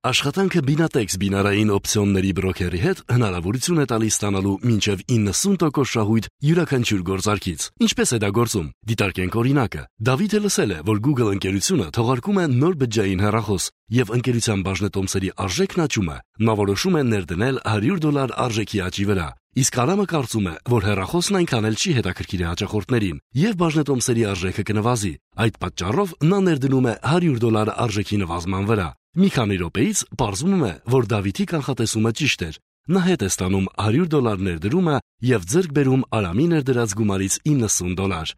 Աշխատանքը Binatex բինարային օպցիոնների բրոքերի հետ հնարավորություն է տալիս ստանալու մինչև 90% շահույթ յուրաքանչյուր գործարքից։ Ինչպես է դա գործում։ Դիտարկենք օրինակը։ Դավիթը լսել է, որ Google ընկերությունը թողարկում է նոր բջջային հեռախոս, եւ ընկերության բաժնետոմսերի արժեքն աճում է։ Նա որոշում է ներդնել $100 արժեքի աճի վրա։ Իսկ Արամը կարծում է, որ հեռախոսն այնքան էլ չի հետաքրքիր հաճախորդներին, եւ բաժնետոմսերի արժեքը կնվազի։ Այդ պատճառով նա ներդնում է $100 արժեքի նվազման վրա։ Մի քանի րոպեից պարզվում է, որ Դավիթի կանխատեսումը ճիշտ էր։ Նա հետ է ստանում $100 ներդրումը եւ ձեռք բերում Արամի ներդրած գումարից $90։